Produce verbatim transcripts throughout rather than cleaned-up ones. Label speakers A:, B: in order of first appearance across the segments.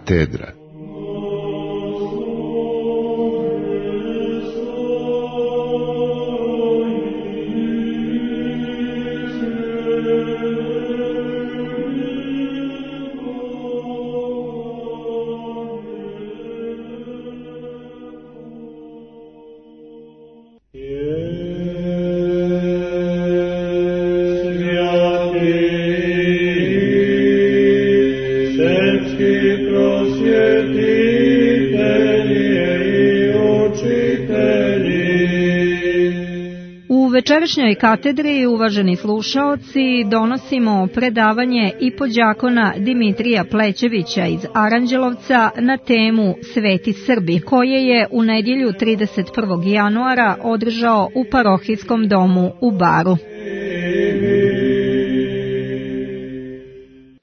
A: katedra.
B: U večerašnjoj katedri, uvaženi slušaoci, donosimo predavanje ipođakona Dimitrija Plećevića iz Aranđelovca na temu Sveti Srbi, koje je u nedjelju trideset prvog januara održao u parohijskom domu u Baru.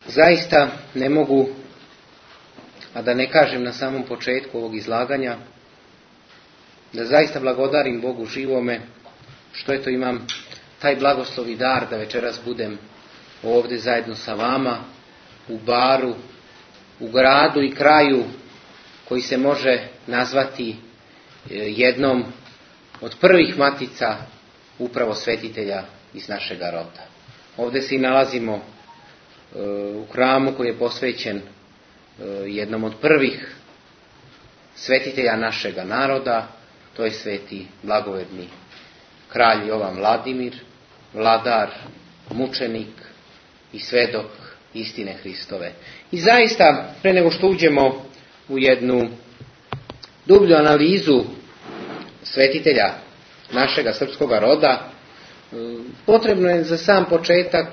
C: Zaista ne mogu, a da ne kažem na samom početku ovog izlaganja, da zaista blagodarim Bogu živome što eto imam taj blagoslov i dar da večeras budem ovdje zajedno sa vama u Baru, u gradu i kraju koji se može nazvati jednom od prvih matica upravo svetitelja iz našega roda. Ovdje se i nalazimo u hramu koji je posvećen jednom od prvih svetitelja našega naroda, to je sveti blagoverni kralj Jovan Vladimir, vladar, mučenik i svedok istine Hristove. I zaista, pre nego što uđemo u jednu dublju analizu svetitelja našega srpskoga roda, potrebno je za sam početak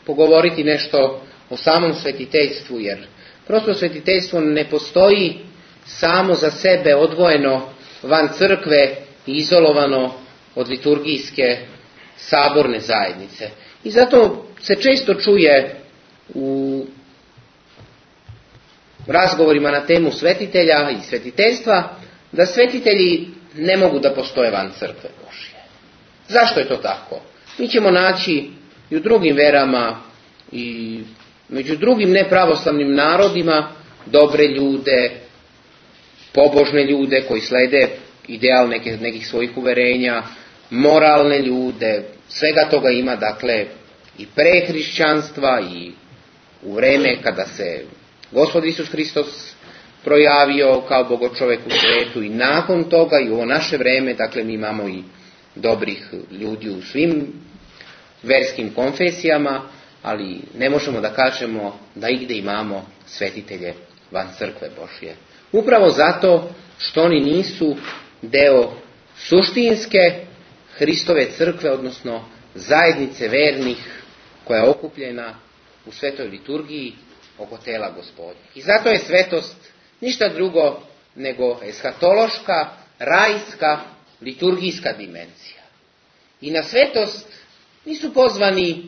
C: pogovoriti nešto o samom svetiteljstvu, jer prosto svetiteljstvo ne postoji samo za sebe odvojeno van crkve i izolovano od liturgijske saborne zajednice. I zato se često čuje u razgovorima na temu svetitelja i svetiteljstva da svetitelji ne mogu da postoje van crkve Božje. Zašto je to tako? Mi ćemo naći i u drugim verama i među drugim nepravoslavnim narodima dobre ljude, pobožne ljude koji slede ideal neke, nekih svojih uverenja, moralne ljude, svega toga ima, dakle, i pre hrišćanstva i u vreme kada se Gospod Isus Hristos projavio kao bogočovek u svetu i nakon toga i u ovo naše vreme, dakle, mi imamo i dobrih ljudi u svim verskim konfesijama, ali ne možemo da kažemo da igde imamo svetitelje van crkve Božje. Upravo zato što oni nisu deo suštinske Hristove crkve, odnosno zajednice vernih koja je okupljena u svetoj liturgiji oko tela Gospodnjeg. I zato je svetost ništa drugo nego eshatološka, rajska, liturgijska dimenzija. I na svetost nisu pozvani e,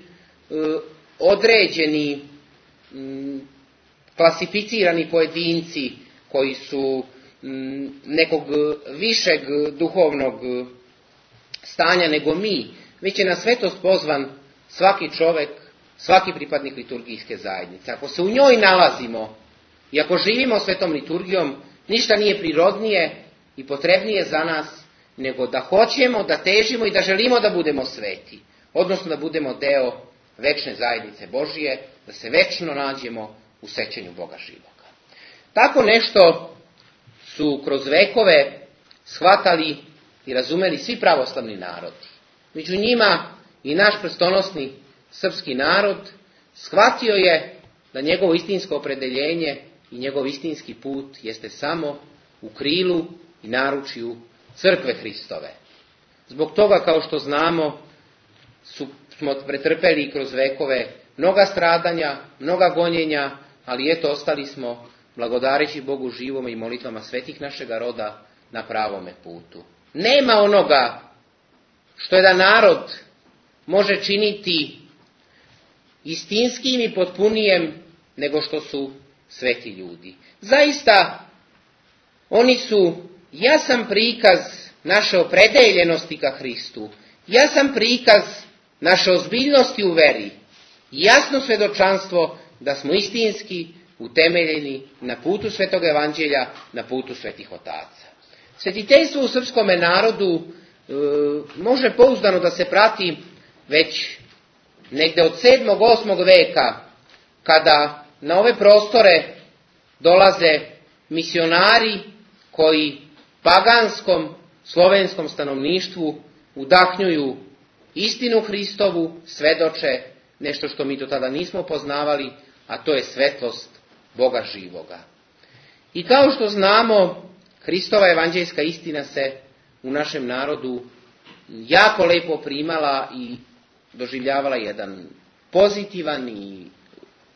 C: određeni, m, klasificirani pojedinci koji su m, nekog višeg duhovnog stanja nego mi, već je na svetost pozvan svaki čovjek, svaki pripadnik liturgijske zajednice. Ako se u njoj nalazimo i ako živimo svetom liturgijom, ništa nije prirodnije i potrebnije za nas nego da hoćemo, da težimo i da želimo da budemo sveti, odnosno da budemo deo večne zajednice Božije, da se večno nađemo u sećanju Boga živoga. Tako nešto su kroz vekove shvatali i razumeli svi pravoslavni narodi. Među njima i naš prstonosni srpski narod shvatio je da njegovo istinsko opredeljenje i njegov istinski put jeste samo u krilu i naručju crkve Hristove. Zbog toga, kao što znamo, su, smo pretrpeli kroz vekove mnoga stradanja, mnoga gonjenja, ali eto ostali smo, blagodareći Bogu živome i molitvama svetih našega roda, na pravome putu. Nema onoga što jedan narod može činiti istinskim i potpunijem nego što su sveti ljudi. Zaista, oni su jasan prikaz naše opredeljenosti ka Hristu, jasan prikaz naše ozbiljnosti u veri, jasno svjedočanstvo da smo istinski utemeljeni na putu Svetog Evanđelja, na putu svetih otaca. Svetiteljstvo u srpskome narodu e, može pouzdano da se prati već negde od sedmog osmog veka, kada na ove prostore dolaze misionari koji paganskom slovenskom stanovništvu udahnjuju istinu Hristovu, svedoče nešto što mi do tada nismo poznavali, a to je svetlost Boga živoga. I kao što znamo, Hristova evanđeljska istina se u našem narodu jako lepo primala i doživljavala jedan pozitivan i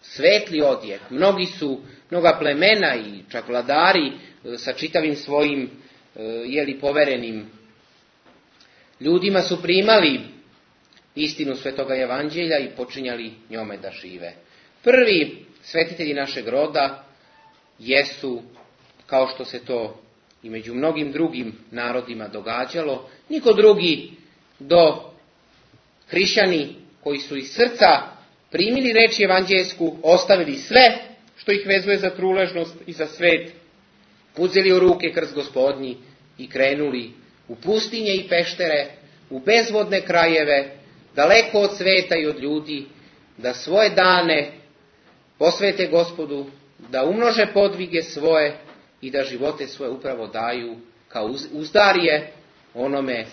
C: svetli odjek. Mnogi su, mnoga plemena i čak vladari sa čitavim svojim jeli poverenim ljudima su primali istinu Svetoga Evanđelja i počinjali njome da žive. Prvi svetitelji našeg roda jesu, kao što se to i među mnogim drugim narodima događalo, niko drugi do hrišćani koji su iz srca primili reč evanđelsku, ostavili sve što ih vezuje za truležnost i za svet, uzeli u ruke krst Gospodnji i krenuli u pustinje i peštere, u bezvodne krajeve, daleko od sveta i od ljudi, da svoje dane posvete Gospodu, da umnože podvige svoje i da živote svoje upravo daju kao uzdarije onome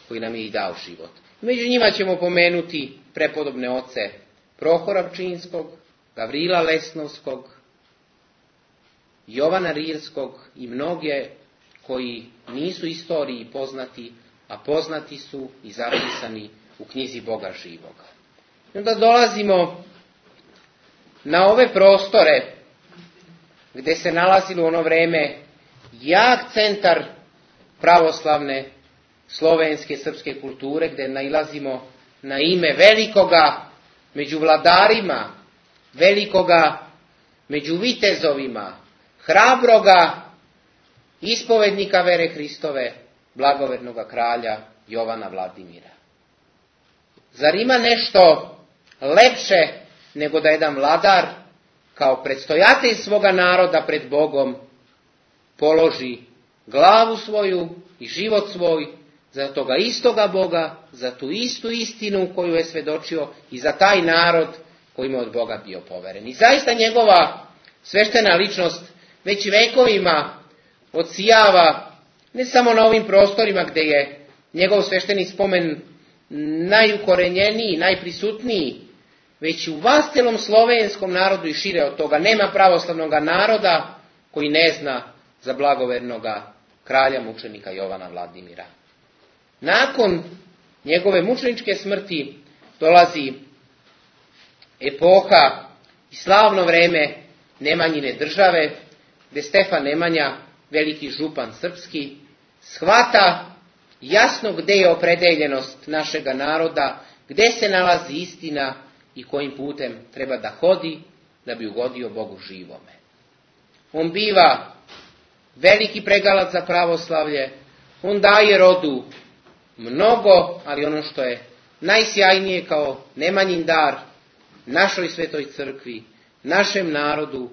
C: koji nam je i dao život. Među njima ćemo pomenuti prepodobne oce Prohora Pčinskog, Gavrila Lesnovskog, Jovana Rilskog i mnoge koji nisu istoriji poznati, a poznati su i zapisani u knjizi Boga živoga. I onda dolazimo na ove prostore gdje se nalazilo u ono vreme jak centar pravoslavne slovenske srpske kulture, gdje nailazimo na ime velikoga među vladarima, velikoga među vitezovima, hrabroga ispovednika vere Hristove, blagovernoga kralja Jovana Vladimira. Zar ima nešto lepše nego da jedan vladar kao predstojatelj svoga naroda pred Bogom položi glavu svoju i život svoj za toga istoga Boga, za tu istu istinu koju je svedočio i za taj narod koji mu od Boga bio poveren. I zaista njegova sveštena ličnost već vekovima odsijava ne samo na ovim prostorima gdje je njegov svešteni spomen najukorenjeniji, najprisutniji, već u vastelom slovenskom narodu i šire od toga. Nema pravoslavnog naroda koji ne zna za blagovernoga kralja mučenika Jovana Vladimira. Nakon njegove mučeničke smrti dolazi epoha i slavno vreme Nemanjine države, gdje Stefan Nemanja, veliki župan srpski, shvata jasno gdje je opredeljenost našega naroda, gdje se nalazi istina i kojim putem treba da hodi da bi ugodio Bogu živome. On biva veliki pregalac za pravoslavlje, on daje rodu mnogo, ali ono što je najsjajnije kao Nemanjin dar našoj svetoj crkvi, našem narodu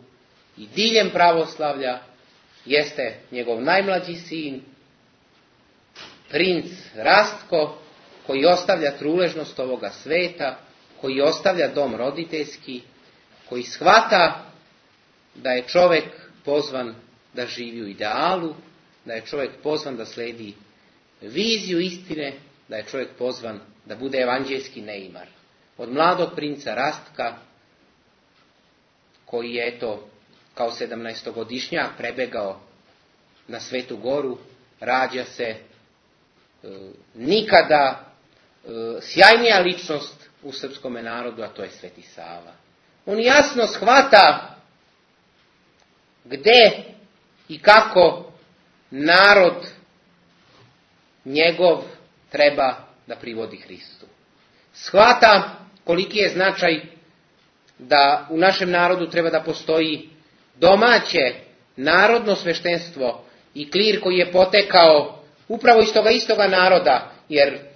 C: i diljem pravoslavlja jeste njegov najmlađi sin, princ Rastko, koji ostavlja truležnost ovoga sveta, koji ostavlja dom roditeljski, koji shvata da je čovjek pozvan da živi u idealu, da je čovjek pozvan da sledi viziju istine, da je čovjek pozvan da bude evanđeljski neimar. Od mladog princa Rastka, koji je eto kao sedamnaestogodišnjak prebegao na Svetu Goru, rađa se e, nikada e, sjajnija ličnost u srpskome narodu, a to je Sveti Sava. On jasno shvata gde i kako narod njegov treba da privodi Hristu. Shvata koliki je značaj da u našem narodu treba da postoji domaće narodno sveštenstvo i klir koji je potekao upravo iz toga istoga naroda, jer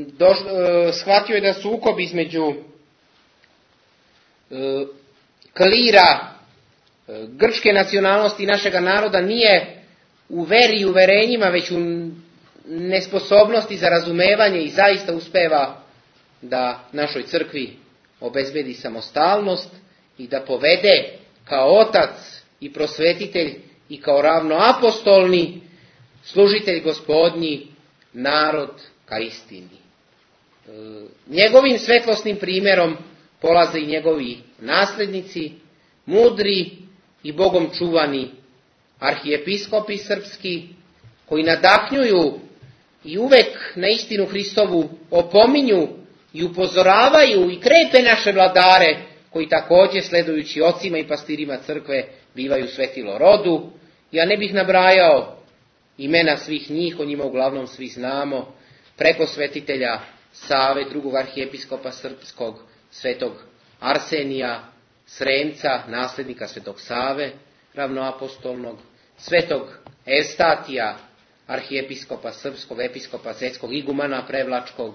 C: do, e, shvatio je da sukob između e, klira grčke nacionalnosti našega naroda nije u veri i uverenjima, već u nesposobnosti za razumevanje i zaista uspeva da našoj crkvi obezbedi samostalnost i da povede kao otac i prosvetitelj i kao ravnoapostolni služitelj Gospodnji narod ka istini. Njegovim svetlosnim primjerom polaze i njegovi naslednici, mudri i Bogom čuvani arhijepiskopi srpski, koji nadahnjuju i uvek na istinu Hristovu opominju i upozoravaju i krepe naše vladare, koji također, sledujući ocima i pastirima crkve, bivaju svetilo rodu. Ja ne bih nabrajao imena svih njih, o njima uglavnom svi znamo, preko svetitelja Save, drugog arhijepiskopa srpskog, svetog Arsenija Sremca, nasljednika svetog Save, ravnoapostolnog, svetog Evstatija, arhijepiskopa srpskog, episkopa zetskog, igumana prevlačkog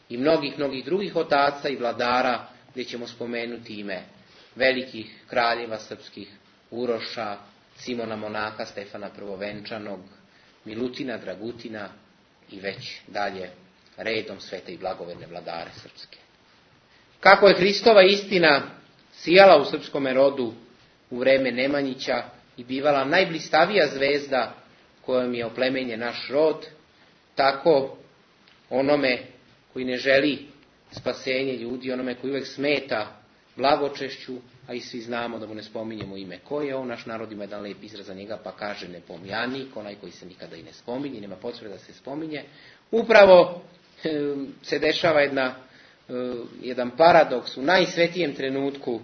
C: i mnogih, mnogih drugih otaca i vladara, gdje ćemo spomenuti ime velikih kraljeva srpskih, Uroša, Simona Monaha, Stefana Prvovenčanog, Milutina, Dragutina i već dalje redom svete i blagoverne vladare srpske. Kako je Hristova istina sijala u srpskome rodu u vreme Nemanjića i bivala najblistavija zvezda kojom je oplemenjen naš rod, tako onome koji ne želi spasenje ljudi, onome koji uvijek smeta blagočešću, a i svi znamo da mu ne spominjemo ime ko je on, naš narod ima jedan lijep izraz za njega, pa kaže nepomjanik, onaj koji se nikada i ne spominje, nema potrebe da se spominje. Upravo se dešava jedna, jedan paradoks u najsvetijem trenutku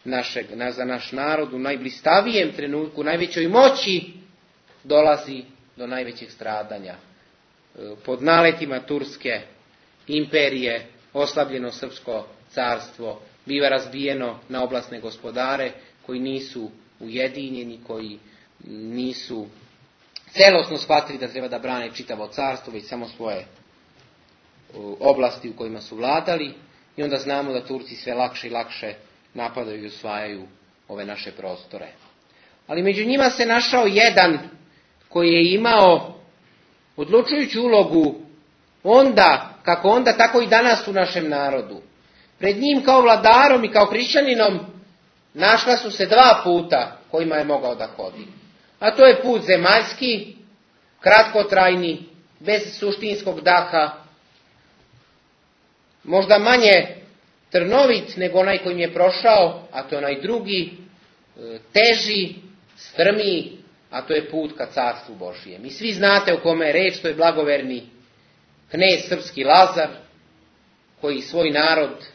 C: našeg, za naš narod, u najblistavijem trenutku, u najvećoj moći dolazi do najvećeg stradanja. Pod naletima Turske imperije, oslabljeno srpsko carstvo biva razbijeno na oblasne gospodare koji nisu ujedinjeni, koji nisu celosno shvatili da treba da brane čitavo carstvo, već samo svoje oblasti u kojima su vladali, i onda znamo da Turci sve lakše i lakše napadaju i osvajaju ove naše prostore. Ali među njima se našao jedan koji je imao odlučujuću ulogu onda, kako onda, tako i danas u našem narodu. Pred njim kao vladarom i kao hrišćaninom našla su se dva puta kojima je mogao da hodi. A to je put zemaljski, kratkotrajni, bez suštinskog daha, možda manje trnovit nego onaj kojim je prošao, a to je onaj drugi, teži, strmiji, a to je put ka carstvu Božijem. I svi znate o kome je reč, to je blagoverni knez srpski Lazar, koji svoj narod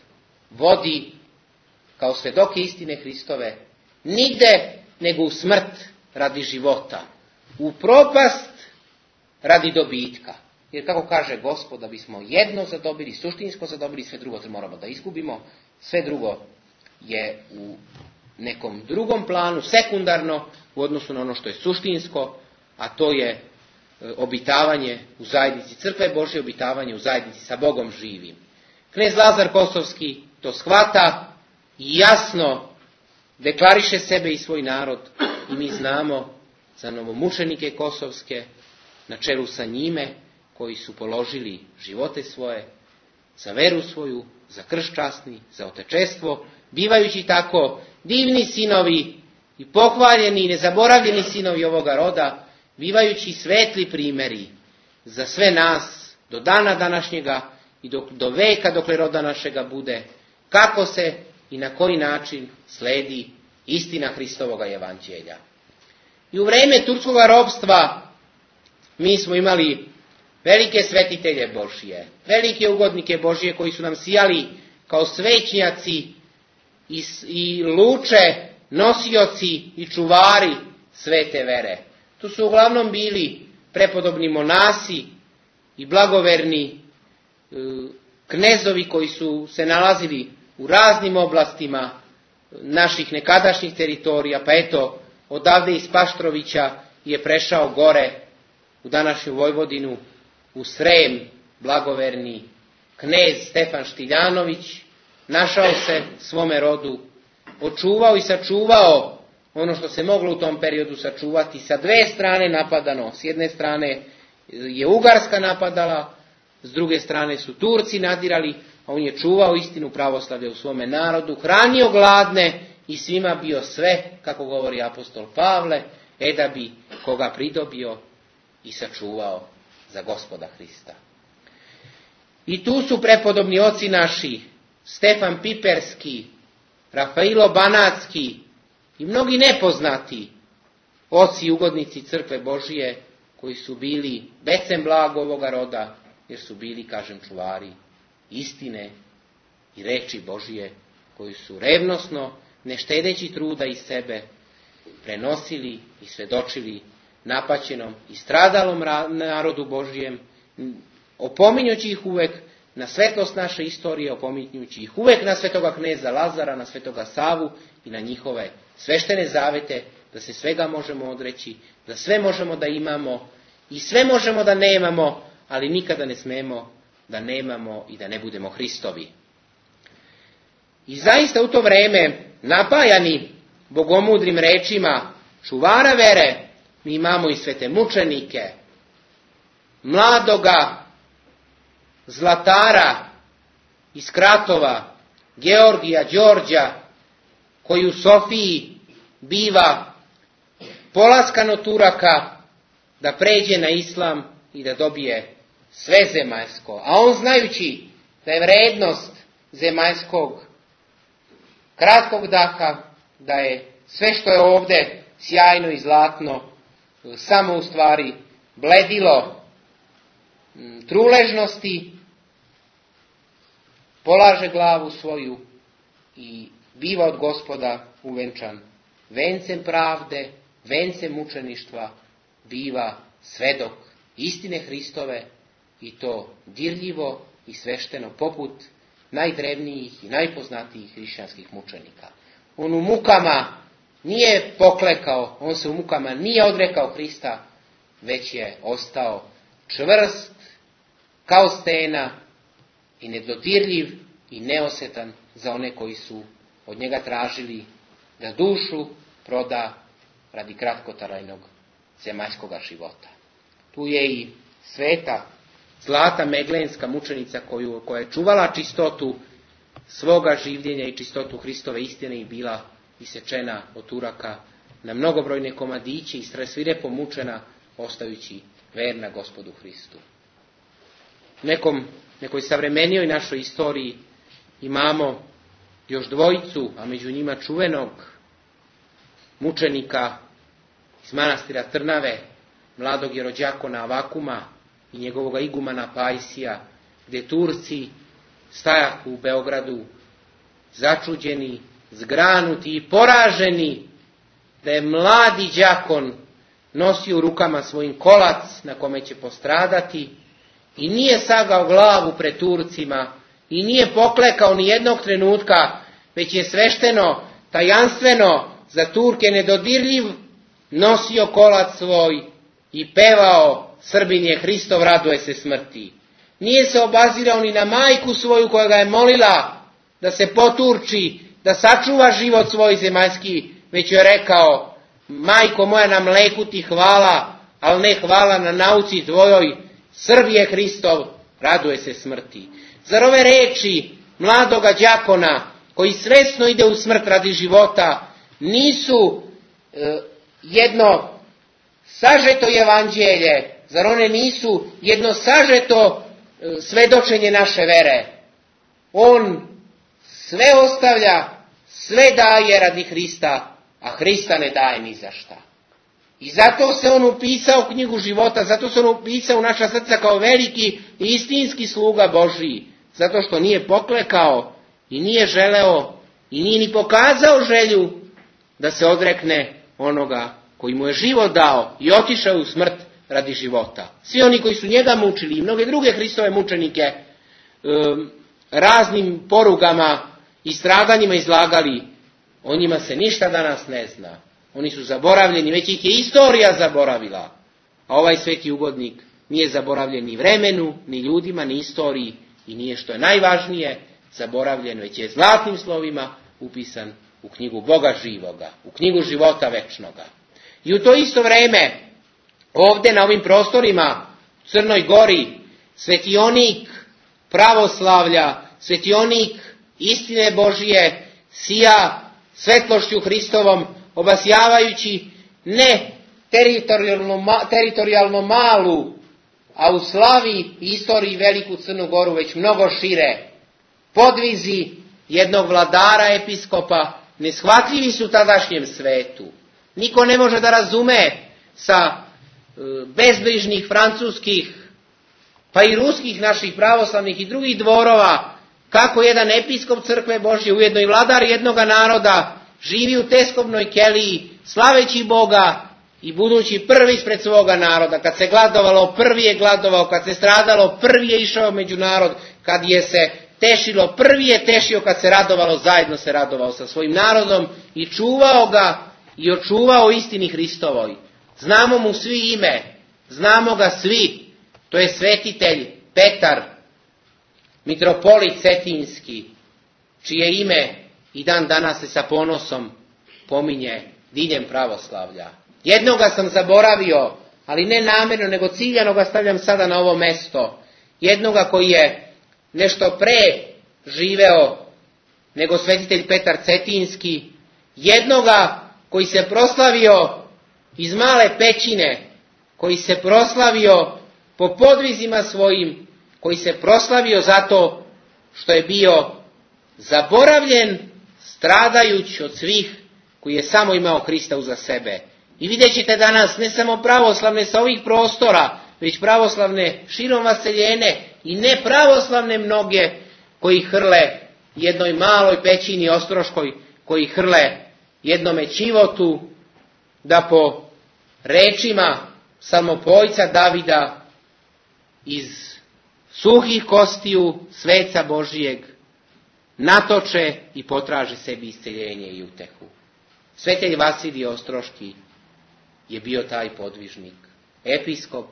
C: vodi kao svedoke istine Hristove, nigde nego u smrt radi života, u propast radi dobitka. Jer kako kaže Gospod, da bismo jedno zadobili, suštinsko zadobili, sve drugo moramo da izgubimo, sve drugo je u nekom drugom planu, sekundarno u odnosu na ono što je suštinsko, a to je obitavanje u zajednici crkve Božje, obitavanje u zajednici sa Bogom živim. Knez Lazar Kosovski to shvata i jasno deklariše sebe i svoj narod, i mi znamo za novomučenike kosovske, na čelu sa njime, koji su položili živote svoje, za veru svoju, za krst časni, za otečestvo, bivajući tako divni sinovi i pohvaljeni i nezaboravljeni sinovi ovoga roda, bivajući svetli primjeri za sve nas do dana današnjega i do, do veka dokle roda našega bude, kako se i na koji način sledi istina Hristovoga evanđelja. I u vreme turskog ropstva mi smo imali velike svetitelje Božije, velike ugodnike Božije koji su nam sijali kao svećnjaci i, i luče, nosioci i čuvari svete vere. Tu su uglavnom bili prepodobni monasi i blagoverni e, knezovi koji su se nalazili u raznim oblastima naših nekadašnjih teritorija, pa eto, odavde iz Paštrovića je prešao gore u današnju Vojvodinu, u Srem, blagoverni knez Stefan Štiljanović, našao se svome rodu, očuvao i sačuvao ono što se moglo u tom periodu sačuvati, sa dve strane napadano. S jedne strane je Ugarska napadala, s druge strane su Turci nadirali, a on je čuvao istinu pravoslavlja u svome narodu, hranio gladne i svima bio sve, kako govori apostol Pavle, e da bi koga pridobio i sačuvao za Gospoda Hrista. I tu su prepodobni oci naši, Stefan Piperski, Rafailo Banatski i mnogi nepoznati oci i ugodnici crkve Božije, koji su bili becem blago ovoga roda, jer su bili, kažem, čuvari istine i reči Božije, koju su revnosno, ne štedeći truda iz sebe, prenosili i svedočili napaćenom i stradalom narodu Božijem, opominjući ih uvek na svetlost naše istorije, opominjući ih uvek na svetoga kneza Lazara, na svetoga Savu i na njihove sveštene zavete, da se svega možemo odreći, da sve možemo da imamo i sve možemo da nemamo, ali nikada ne smemo da nemamo i da ne budemo Hristovi. I zaista u to vreme, napajani bogomudrim rečima čuvara vere, mi imamo i svete mučenike, mladoga zlatara iz Kratova, Georgija Đorđa, koji u Sofiji biva polaskan od Turaka da pređe na islam i da dobije sve zemaljsko. A on, znajući da je vrednost zemaljskog kratkog daha, da je sve što je ovdje sjajno i zlatno samo u stvari bledilo truležnosti, polaže glavu svoju i biva od Gospoda uvenčan vencem pravde, vencem mučeništva, biva svedok istine Hristove, i to dirljivo i svešteno poput najdrevnijih i najpoznatijih hrišćanskih mučenika. On u mukama nije poklekao, on se u mukama nije odrekao Hrista, već je ostao čvrst kao stena i nedodirljiv i neosetan za one koji su od njega tražili da dušu proda radi kratkotrajnog zemaljskoga života. Tu je i sveta Zlata Meglenska mučenica koju, koja je čuvala čistotu svoga življenja i čistotu Hristove istine i bila isečena od Turaka na mnogobrojne komadiće i svirepo mučena, ostajući verna Gospodu Hristu. U nekom, nekoj savremenijoj našoj istoriji imamo još dvojicu, a među njima čuvenog mučenika iz manastira Trnave, mladog jerođakona Avakuma i njegovog igumana Pajsija, gdje Turci stajahu u Beogradu začuđeni, zgranuti i poraženi da je mladi đakon nosio u rukama svojim kolac na kome će postradati i nije sagao glavu pred Turcima i nije poklekao ni jednog trenutka, već je svešteno, tajanstveno, za Turke nedodirljiv, nosio kolac svoj i pevao: Srbin je Hristov, raduje se smrti. Nije se obazirao ni na majku svoju koja ga je molila da se poturči, da sačuva život svoj zemaljski, već je rekao: majko moja, na mleku ti hvala, ali ne hvala na nauci tvojoj, Srb je Hristov, raduje se smrti. Zar ove reči mladoga đakona, koji svesno ide u smrt radi života, nisu e, jedno sažeto evanđelje? Zar one nisu jedno sažeto e, svedočenje naše vere? On sve ostavlja, sve daje radi Hrista, a Hrista ne daje ni za šta. I zato se on upisao u knjigu života, zato se on upisao u naša srca kao veliki i istinski sluga Božiji, zato što nije poklekao i nije želeo i nije ni pokazao želju da se odrekne onoga koji mu je život dao i otišao u smrt radi života. Svi oni koji su njega mučili i mnoge druge Hristove mučenike um, raznim porugama i stradanjima izlagali, o njima se ništa danas ne zna. Oni su zaboravljeni, već ih je istorija zaboravila. A ovaj sveti ugodnik nije zaboravljen ni vremenu, ni ljudima, ni istoriji i nije, što je najvažnije, zaboravljen, već je zlatnim slovima upisan u knjigu Boga živoga, u knjigu života večnoga. I u to isto vrijeme, ovdje na ovim prostorima, u Crnoj Gori, svetionik pravoslavlja, svetionik istine Božije, sija svetlošću Hristovom, obasjavajući ne teritorijalno, teritorijalno malu, a u slavi i istoriji veliku Crnu Goru, već mnogo šire. Podvizi jednog vladara episkopa neshvatljivi su tadašnjem svetu. Niko ne može da razume sa bezbrižnih francuskih, pa i ruskih naših pravoslavnih i drugih dvorova, kako jedan episkop crkve Božje, ujedno i vladar jednoga naroda, živi u teskovnoj keliji, slaveći Boga i budući prvi ispred svoga naroda. Kad se gladovalo, prvi je gladovao, kad se stradalo, prvi je išao među narod, kad je se tešilo, prvi je tešio, kad se radovalo, zajedno se radovao sa svojim narodom i čuvao ga i očuvao istini Hristovoj. Znamo mu svi ime, znamo ga svi, to je svetitelj Petar, mitropolit Cetinski, čije ime i dan danas se sa ponosom pominje diljem pravoslavlja. Jednoga sam zaboravio, ali ne namjerno, nego ciljano ga stavljam sada na ovo mesto. Jednoga koji je nešto pre živeo nego svetitelj Petar Cetinski, jednoga koji se proslavio iz Male Pećine, koji se proslavio po podvizima svojim, koji se proslavio zato što je bio zaboravljen, stradajući od svih, koji je samo imao Hrista uza sebe. I vidjet ćete danas ne samo pravoslavne sa ovih prostora, već pravoslavne širom vaseljene i nepravoslavne mnoge koji hrle jednoj maloj pećini ostroškoj, koji hrle jednome Čivotu, da po rečima samopojca Davida iz suhih kostiju sveca Božijeg natoče i potraže sebi isceljenje i utehu. Svetelj Vasilij Ostroški je bio taj podvižnik, episkop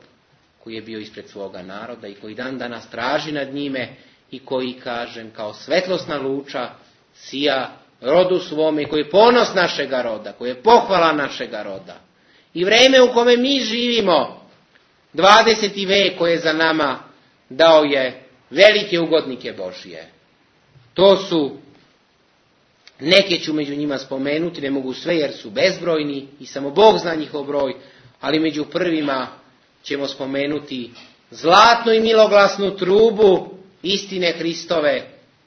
C: koji je bio ispred svoga naroda i koji dan danas traži nad njime i koji, kažem, kao svetlosna luča sija rodu svome, koji je ponos našega roda, koji je pohvala našega roda. I vreme u kome mi živimo, dvadeseti vek koji je za nama, dao je velike ugodnike Božije. To su, neke ću među njima spomenuti, ne mogu sve jer su bezbrojni i samo Bog zna njihov broj, ali među prvima ćemo spomenuti zlatnu i miloglasnu trubu istine Hristove,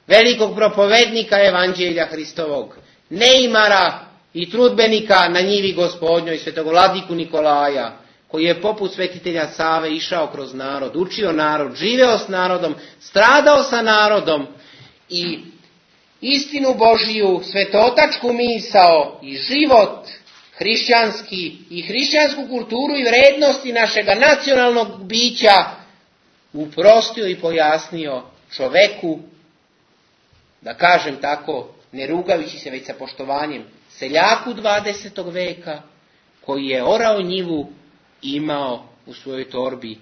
C: velikog propovednika evanđelja Hristovog, neimara i trudbenika na njivi Gospodnjoj, svetog vladiku Nikolaja, koji je poput svetitelja Save išao kroz narod, učio narod, živeo s narodom, stradao sa narodom i istinu Božiju, svetotačku misao i život hrišćanski i hrišćansku kulturu i vrednosti našega nacionalnog bića uprostio i pojasnio čoveku, da kažem tako, ne rugajući se već sa poštovanjem, seljaku dvadesetog veka, koji je orao njivu i imao u svojoj torbi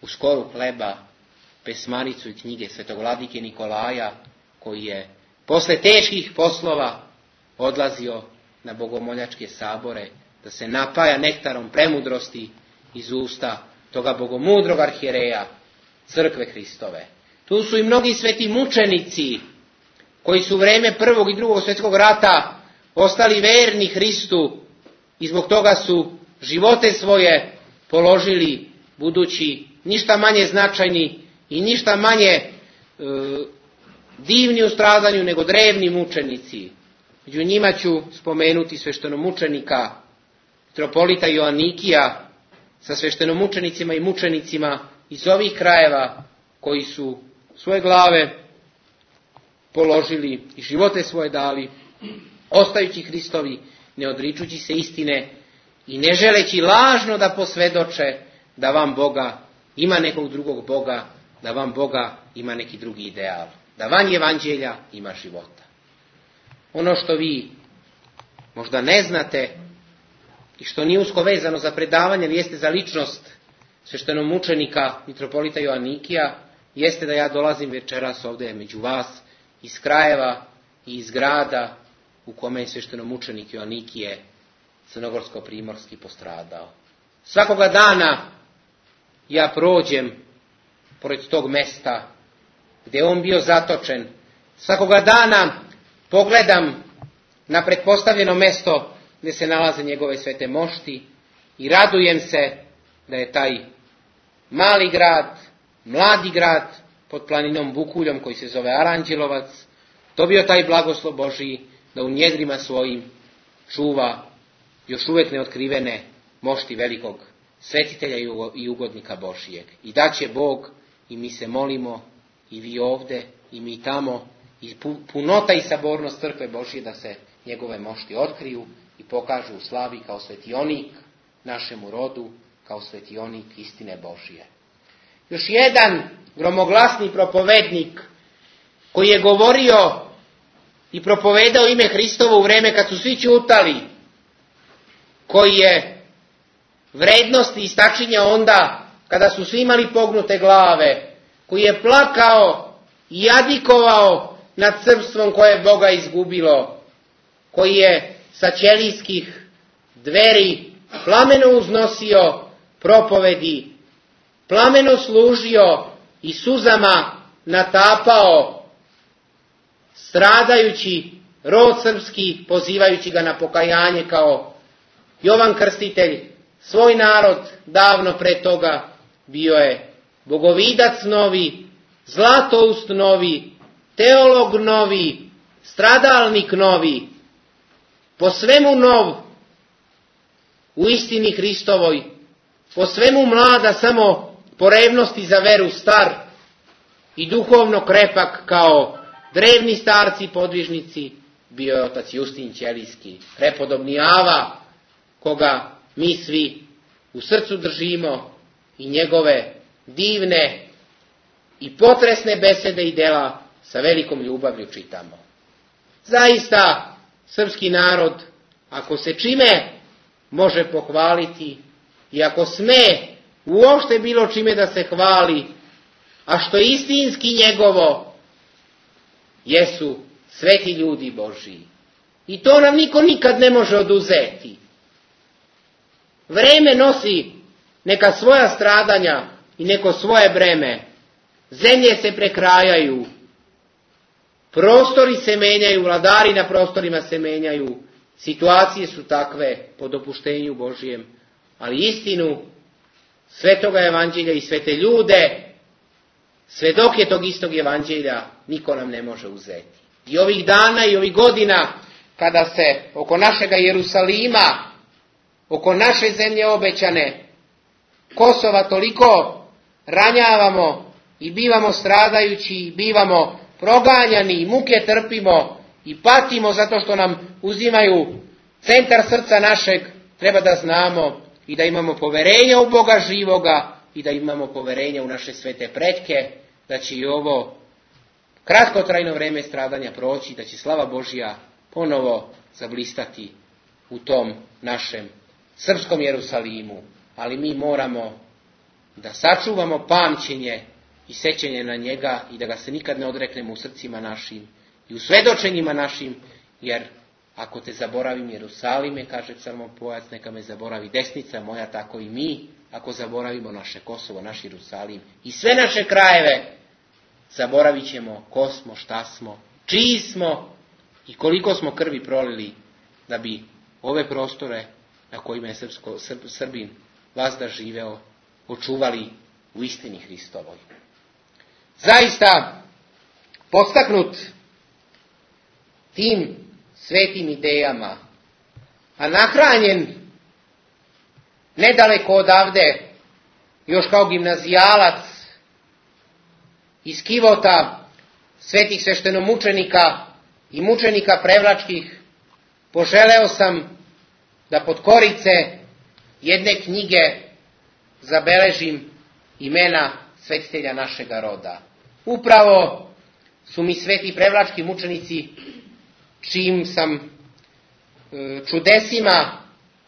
C: u skoru hleba pesmaricu i knjige svetog vladike Nikolaja, koji je posle teških poslova odlazio na bogomoljačke sabore da se napaja nektarom premudrosti iz usta toga bogomudrog arhijereja crkve Hristove. Tu su i mnogi sveti mučenici koji su u vreme prvog i drugog svjetskog rata ostali verni Hristu i zbog toga su živote svoje položili, budući ništa manje značajni i ništa manje e, divni u stradanju nego drevni mučenici. Među njima ću spomenuti sveštenomučenika mitropolita Joanikija sa sveštenomučenicima i mučenicima iz ovih krajeva koji su svoje glave položili i živote svoje dali, ostajući Hristovi, ne odričući se istine i ne želeći lažno da posvedoče da vam Boga ima nekog drugog Boga, da vam Boga ima neki drugi ideal, da van evanđelja ima života. Ono što vi možda ne znate i što nije usko vezano za predavanje, ali jeste za ličnost sveštenomučenika mitropolita Joanikija, jeste da ja dolazim večeras ovdje među vas iz krajeva i iz grada u kome je sveštenomučenik Joanikije crnogorsko-primorski postradao. Svakoga dana ja prođem pored tog mesta gdje je on bio zatočen. Svakoga dana pogledam na pretpostavljeno mesto gdje se nalaze njegove svete mošti i radujem se da je taj mali grad, mladi grad pod planinom Bukuljom koji se zove Aranđelovac dobio taj blagoslov Božiji da u njedrima svojim čuva još uvijek neotkrivene mošti velikog svetitelja i ugodnika Božijeg. I da će Bog, i mi se molimo, i vi ovdje, i mi tamo, i punota i sabornost crkve Božije da se njegove mošti otkriju i pokažu u slavi kao svetionik našemu rodu, kao svetionik istine Božije. Još jedan gromoglasni propovednik koji je govorio i propovedao ime Hristovo u vreme kad su svi ćutali, koji je vrednosti istačinja onda kada su svi imali pognute glave, koji je plakao i jadikovao nad srpstvom koje je Boga izgubilo, koji je sa ćelijskih dveri plameno uznosio propovedi, plameno služio i suzama natapao stradajući rod srpski, pozivajući ga na pokajanje kao Jovan Krstitelj. Svoj narod davno pre toga bio je bogovidac novi, zlatoust novi, teolog novi, stradalnik novi, po svemu nov, u istini Hristovoj, po svemu mlada, samo po revnosti za veru star i duhovno krepak kao drevni starci podvižnici, bio je otac Justin Ćelijski, prepodobni Ava, koga mi svi u srcu držimo i njegove divne i potresne besede i dela sa velikom ljubavlju čitamo. Zaista, srpski narod, ako se čime može pohvaliti i ako sme uopšte bilo čime da se hvali, a što je istinski njegovo, jesu sveti ljudi Božiji. I to nam niko nikad ne može oduzeti. Vreme nosi neka svoja stradanja i neko svoje breme. Zemlje se prekrajaju, prostori se menjaju, vladari na prostorima se menjaju, situacije su takve po dopuštenju Božijem, ali istinu svetoga evanđelja i svete ljude, svedoke tog istog evanđelja, niko nam ne može uzeti. I ovih dana i ovih godina, kada se oko našega Jerusalima, oko naše zemlje obećane, Kosova toliko ranjavamo i bivamo stradajući, i bivamo proganjani, i muke trpimo i patimo zato što nam uzimaju centar srca našeg, treba da znamo i da imamo poverenja u Boga živoga i da imamo poverenja u naše svete pretke, da će i ovo kratkotrajno vreme stradanja proći, da će slava Božja ponovo zablistati u tom našem srpskom Jerusalimu. Ali mi moramo da sačuvamo pamćenje i sećanje na njega i da ga se nikad ne odreknemo u srcima našim i u svedočenjima našim, jer ako te zaboravim Jerusalime, kaže psalmopojac, neka me zaboravi desnica moja, tako i mi, ako zaboravimo naše Kosovo, naš Jerusalim i sve naše krajeve, zaboravit ćemo ko smo, šta smo, čiji smo i koliko smo krvi prolili da bi ove prostore na kojima je srpsko, Srb, Srbin vazda živeo, očuvali u istini Hristovoj. Zaista, podstaknut tim svetim idejama, a nahranjen nedaleko odavde, još kao gimnazijalac iz kivota svetih sveštenomučenika i mučenika prevlačkih, poželeo sam da pod korice jedne knjige zabeležim imena svetitelja našega roda. Upravo su mi sveti prevlački mučenici, čijim sam čudesima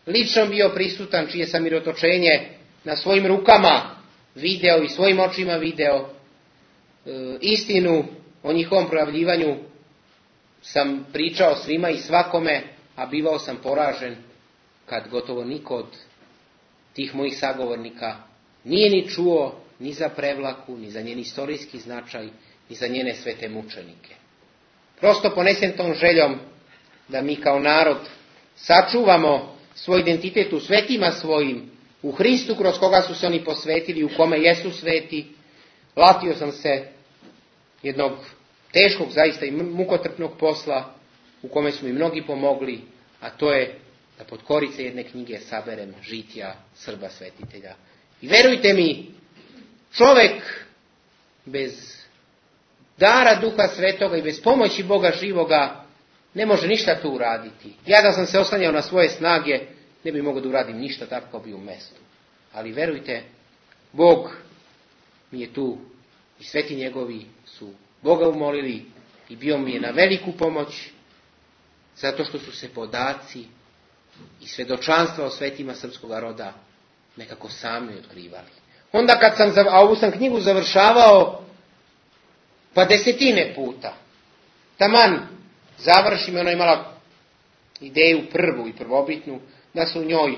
C: lično bio prisutan, čije sam mirotočenje na svojim rukama video i svojim očima video, istinu o njihovom projavljivanju sam pričao svima i svakome, a bivao sam poražen kad gotovo niko od tih mojih sagovornika nije ni čuo ni za Prevlaku, ni za njen istorijski značaj, ni za njene svete mučenike. Prosto ponesen tom željom da mi kao narod sačuvamo svoj identitet u svetima svojim, u Hristu kroz koga su se oni posvetili, u kome jesu sveti, latio sam se jednog teškog, zaista i mukotrpnog posla, u kome su mi mnogi pomogli, a to je da pod korice jedne knjige saberem žitija Srba svetitelja. I verujte mi, čovek bez dara Duha Svetoga i bez pomoći Boga živoga ne može ništa tu uraditi. Ja da sam se oslanjao na svoje snage, ne bi mogao da uradim ništa, tako bi u mestu. Ali verujte, Bog mi je tu i sveti njegovi su Boga umolili i bio mi je na veliku pomoć, zato što su se podaci i svedočanstva o svetima srpskog roda nekako sami otkrivali. Onda kad sam, a ovu sam knjigu završavao pa desetine puta, taman završim, ona imala ideju prvu i prvobitnu, da se u njoj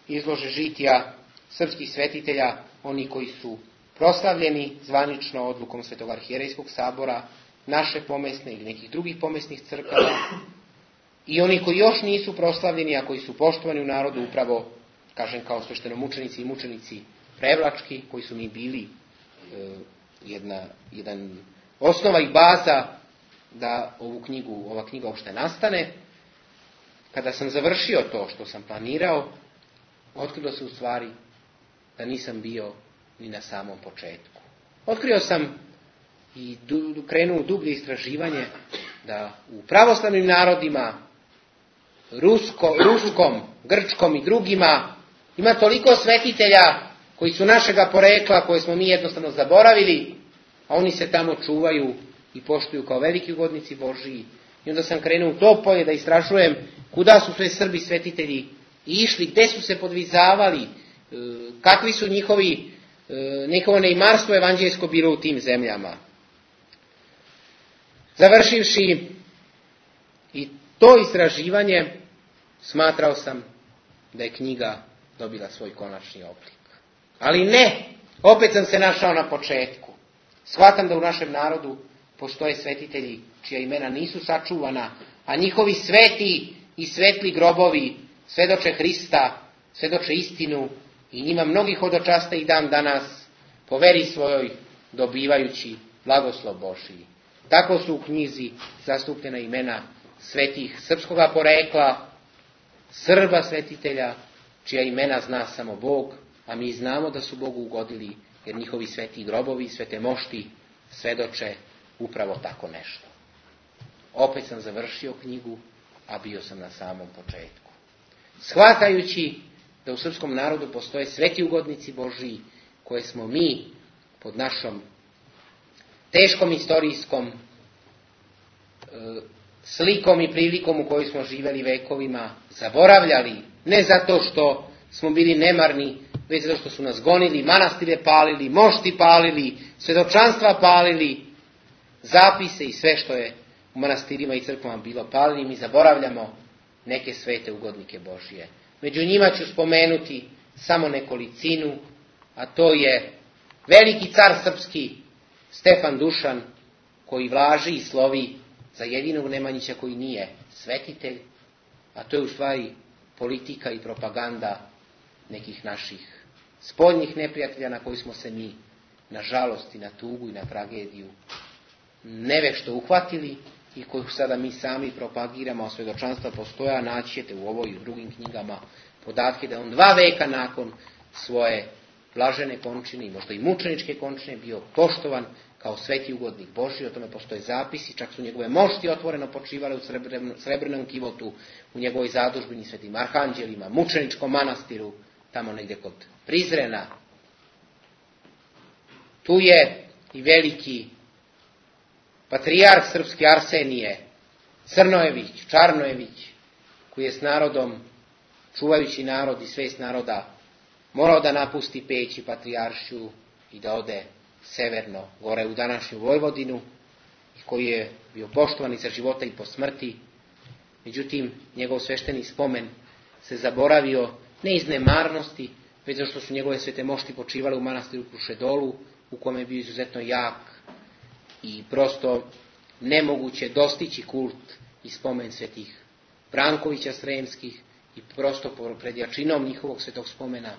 C: izlože žitija srpskih svetitelja, oni koji su proslavljeni zvanično odlukom Svetog arhijerejskog sabora, naše pomesne ili nekih drugih pomesnih crkava, i oni koji još nisu proslavljeni, a koji su poštovani u narodu, upravo, kažem, kao sveštenomučenici i mučenici prevlački, koji su mi bili e, jedna, jedan osnova i baza da ovu knjigu, ova knjiga uopšte nastane. Kada sam završio to što sam planirao, otkrilo se u stvari da nisam bio ni na samom početku. Otkrio sam i du, krenuo u dublje istraživanje da u pravoslavnim narodima, Rusko, ruskom, grčkom i drugima, ima toliko svetitelja koji su našega porekla, koje smo mi jednostavno zaboravili, a oni se tamo čuvaju i poštuju kao veliki ugodnici Božiji. I onda sam krenuo u to polje da istražujem kuda su sve Srbi svetitelji išli, gde su se podvizavali, kakvi su njihovi, njihovo neimarstvo evanđeljsko bilo u tim zemljama. Završivši i to istraživanje, smatrao sam da je knjiga dobila svoj konačni oblik. Ali ne, opet sam se našao na početku. Shvatam da u našem narodu postoje svetitelji čija imena nisu sačuvana, a njihovi sveti i svetli grobovi svedoče Hrista, svedoče istinu i njima mnogi hodočaste i dan danas po veri svojoj dobivajući blagoslov Božiji. Tako su u knjizi zastupljena imena svetih srpskoga porekla, Srba svetitelja, čija imena zna samo Bog, a mi znamo da su Bogu ugodili, jer njihovi sveti grobovi, svete mošti svedoče upravo tako nešto. Opet sam završio knjigu, a bio sam na samom početku. Shvatajući da u srpskom narodu postoje sveti ugodnici Božiji, koje smo mi pod našom teškom istorijskom e, slikom i prilikom u kojoj smo živeli vekovima zaboravljali, ne zato što smo bili nemarni, već zato što su nas gonili, manastire palili, mošti palili, svedočanstva palili, zapise i sve što je u manastirima i crkvama bilo palili. Mi zaboravljamo neke svete ugodnike Božije. Među njima ću spomenuti samo nekolicinu, a to je veliki car srpski Stefan Dušan, koji vlaži i slovi za jedinog Nemanjića koji nije svetitelj, a to je u stvari politika i propaganda nekih naših spoljnih neprijatelja na koji smo se mi, na žalost i na tugu i na tragediju, nevešto uhvatili i koju sada mi sami propagiramo, a svedočanstva postoja, naći ćete u ovoj i u drugim knjigama podatke da on dva veka nakon svoje blažene končine i možda i mučeničke končine bio poštovan kao sveti ugodnik Božji. O tome postoje zapisi, čak su njegove mošti otvoreno počivale u srebrnom, srebrnom kivotu, u njegovoj zadužbini svetim arhanđelima, mučeničkom manastiru, tamo negdje kod Prizrena. Tu je i veliki patrijarh srpski Arsenije, Crnojević, Čarnojević, koji je s narodom, čuvajući narod i svest naroda, morao da napusti Peć i Patrijaršiju i da ode severno, gore u današnju Vojvodinu. koji je bio poštovan i za života i po smrti. Međutim, njegov svešteni spomen se zaboravio ne iz nemarnosti, već zato što su njegove svete mošti počivale u manastiru Krušedolu, u kome je bio izuzetno jak i prosto nemoguće dostići kult i spomen svetih Brankovića Sremskih i prosto pred jačinom njihovog svetog spomena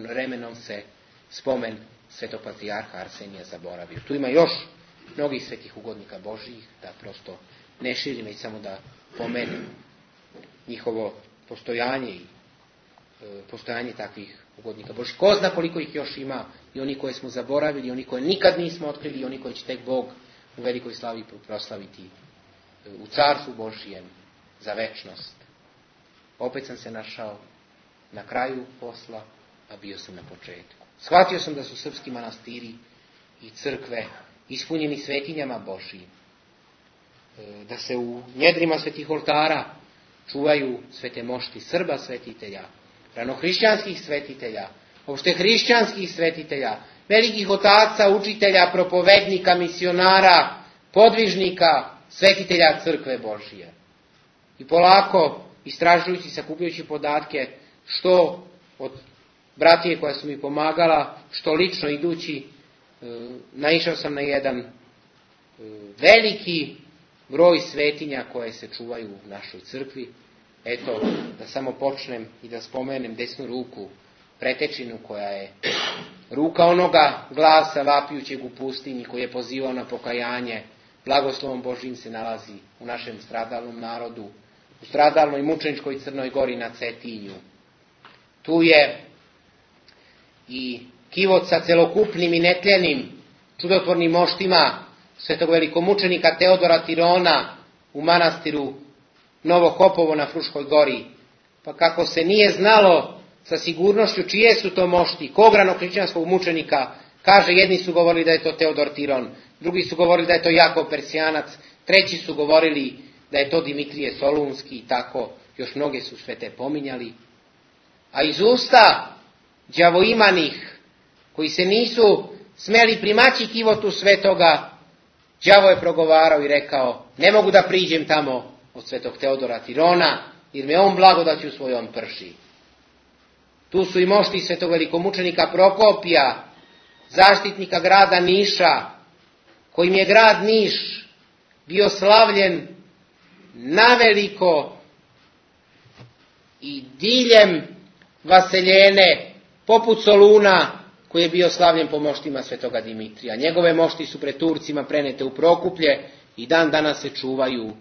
C: vremenom se spomen svetog patrijarha Arsenija zaboravio. Tu ima još mnogih svetih ugodnika Božijih, da prosto ne širim, već samo da pomenem njihovo postojanje i e, postojanje takvih ugodnika Božijih. Ko zna koliko ih još ima, i oni koje smo zaboravili, i oni koje nikad nismo otkrili, i oni koji će tek Bog u velikoj slavi proslaviti e, u carstvu Božijem za večnost. Opet sam se našao na kraju posla, a bio sam na početku. Shvatio sam da su srpski manastiri i crkve ispunjeni svetinjama Božijim, da se u njedrima svetih oltara čuvaju svete mošti Srba svetitelja, ranohrišćanskih svetitelja, opšte hrišćanskih svetitelja, velikih otaca, učitelja, propovednika, misionara, podvižnika, svetitelja crkve Božije. I polako, istražujući, sakupljajući podatke, što od bratije koja su mi pomagala, što lično idući, naišao sam na jedan veliki broj svetinja koje se čuvaju u našoj crkvi. Eto, da samo počnem i da spomenem desnu ruku pretečinu, koja je ruka onoga glasa vapijućeg u pustinji, koji je pozivao na pokajanje. Blagoslovom Božijim se nalazi u našem stradalnom narodu, u stradalnoj mučeničkoj Crnoj Gori na Cetinju. Tu je i kivot sa celokupnim i netljenim čudotvornim moštima svetog velikomučenika Teodora Tirona u manastiru Novo Hopovo na Fruškoj Gori. Pa kako se nije znalo sa sigurnošću čije su to mošti, kog ranohrišćanskog mučenika, kaže, jedni su govorili da je to Teodor Tiron, drugi su govorili da je to Jakov Persijanac, treći su govorili da je to Dimitrije Solunski i tako, još mnoge su svete pominjali. A iz usta đavoimanih, koji se nisu smeli primaći kivotu svetoga, đavo je progovarao i rekao, ne mogu da priđem tamo od svetog Teodora Tirona, jer me on blagodaću svojom prši. Tu su i mošti svetog velikomučenika Prokopija, zaštitnika grada Niša, kojim je grad Niš bio slavljen naveliko i diljem vaseljene, poput Soluna, koji je bio slavljen po moštima svetoga Dimitrija. Njegove mošti su pred Turcima prenete u Prokuplje i dan danas se čuvaju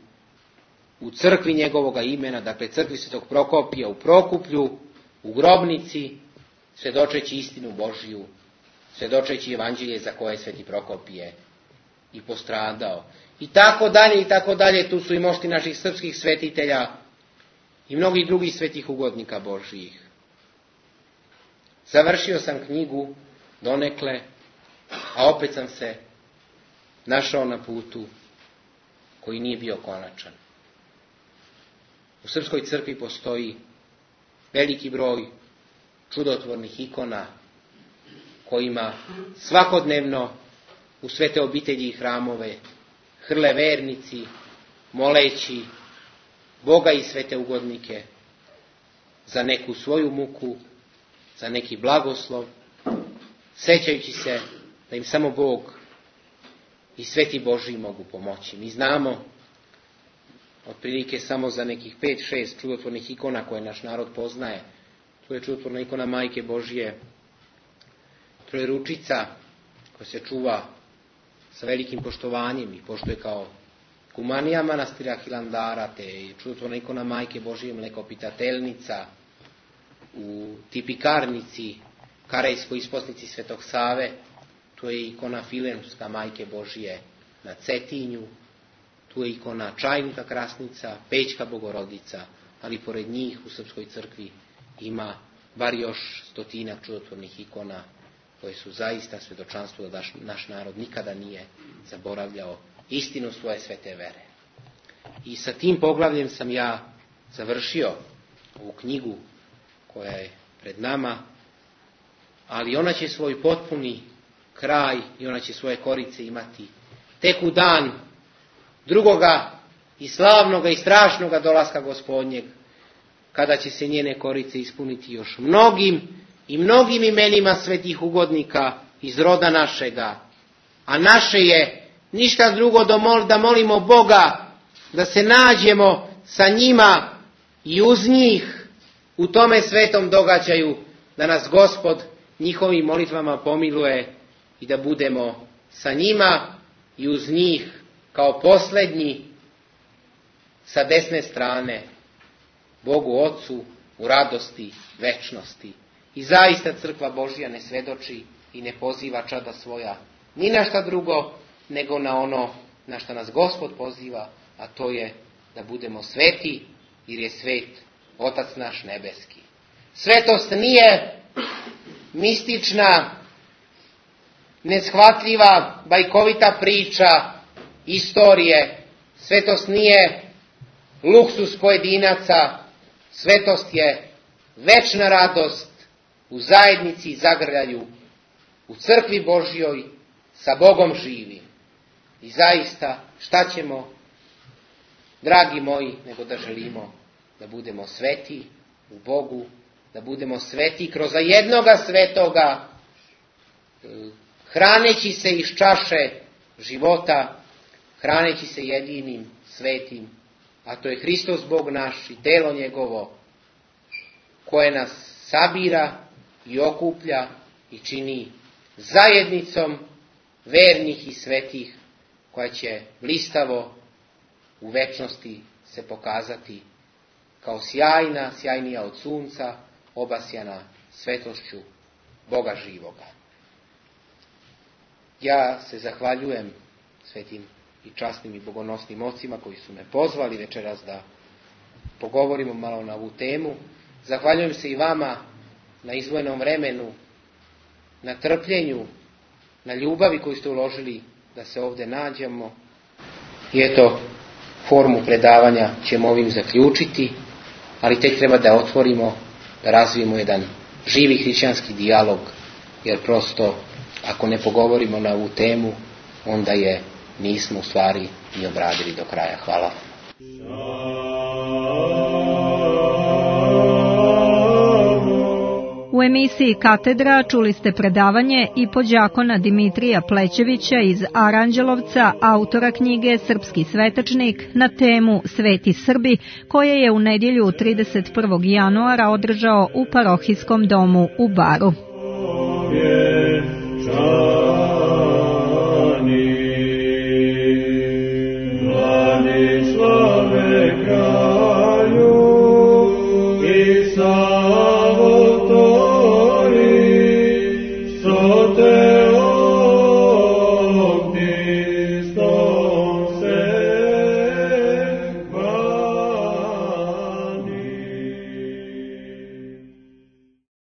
C: u crkvi njegovoga imena, dakle crkvi svetog Prokopija u Prokuplju, u grobnici, svedočeći istinu Božiju, svedočeći evanđelje za koje sveti Prokopije i postradao. I tako dalje, i tako dalje, tu su i mošti naših srpskih svetitelja i mnogih drugih svetih ugodnika Božijih. Završio sam knjigu donekle, a opet sam se našao na putu koji nije bio konačan. U srpskoj crkvi postoji veliki broj čudotvornih ikona kojima svakodnevno u svete obitelji i hramove hrle vernici, moleći Boga i svete ugodnike za neku svoju muku, za neki blagoslov, sećajući se da im samo Bog i sveti Božiji mogu pomoći. Mi znamo otprilike samo za nekih pet šest čudotvornih ikona koje naš narod poznaje. Tu je čudotvorna ikona Majke Božije, Trojeručica, koja se čuva sa velikim poštovanjem i poštuje kao kumanija manastira Hilandara, te čudotvorna ikona Majke Božije Mlekopitateljnica, u tipikarnici Karejskoj isposnici Svetog Save, tu je ikona Filemska Majke Božije na Cetinju, tu je ikona Čajnika Krasnica, Pećka Bogorodica, ali pored njih u srpskoj crkvi ima bar još stotinak čudotvornih ikona koje su zaista svedočanstvo da naš narod nikada nije zaboravljao istinu svoje svete vere. I sa tim poglavljem sam ja završio ovu knjigu koja je pred nama, ali ona će svoj potpuni kraj i ona će svoje korice imati tek u dan drugoga i slavnoga i strašnoga dolaska Gospodnjeg, kada će se njene korice ispuniti još mnogim i mnogim imenima svetih ugodnika iz roda našega. A naše je ništa drugo da molimo Boga da se nađemo sa njima i uz njih u tome svetom događaju, da nas Gospod njihovim molitvama pomiluje i da budemo sa njima i uz njih kao posljednji sa desne strane Bogu Otcu u radosti večnosti. I zaista crkva Božja ne svedoči i ne poziva čada svoja ni na šta drugo nego na ono na što nas Gospod poziva, a to je da budemo sveti, jer je svet Otac naš nebeski. Svetost nije mistična, neshvatljiva, bajkovita priča istorije. Svetost nije luksus pojedinaca. Svetost je večna radost u zajednici i zagrljaju u crkvi Božjoj sa Bogom živim. I zaista, šta ćemo, dragi moji, nego da želimo da budemo sveti u Bogu, da budemo sveti kroz jednoga svetoga, hraneći se iz čaše života, hraneći se jedinim svetim, a to je Hristos Bog naš i telo njegovo, koje nas sabira i okuplja i čini zajednicom vernih i svetih, koja će blistavo u večnosti se pokazati kao sjajna, sjajnija od sunca, obasjana svetošću Boga živoga. Ja se zahvaljujem svetim i časnim i bogonosnim ocima koji su me pozvali večeras da pogovorimo malo na ovu temu. Zahvaljujem se i vama na izdvojenom vremenu, na trpljenju, na ljubavi koju ste uložili da se ovdje nađemo. I eto, formu predavanja ćemo ovim zaključiti, ali tek treba da otvorimo, da razvijemo jedan živi hrišćanski dijalog, jer prosto ako ne pogovorimo na ovu temu, onda je nismo u stvari ni obradili do kraja. Hvala.
B: U emisiji Katedra čuli ste predavanje i podđakona Dimitrija Plećevića iz Aranđelovca, autora knjige Srpski svetačnik na temu Sveti Srbi, koje je u nedjelju trideset prvog januara održao u parohijskom domu u Baru.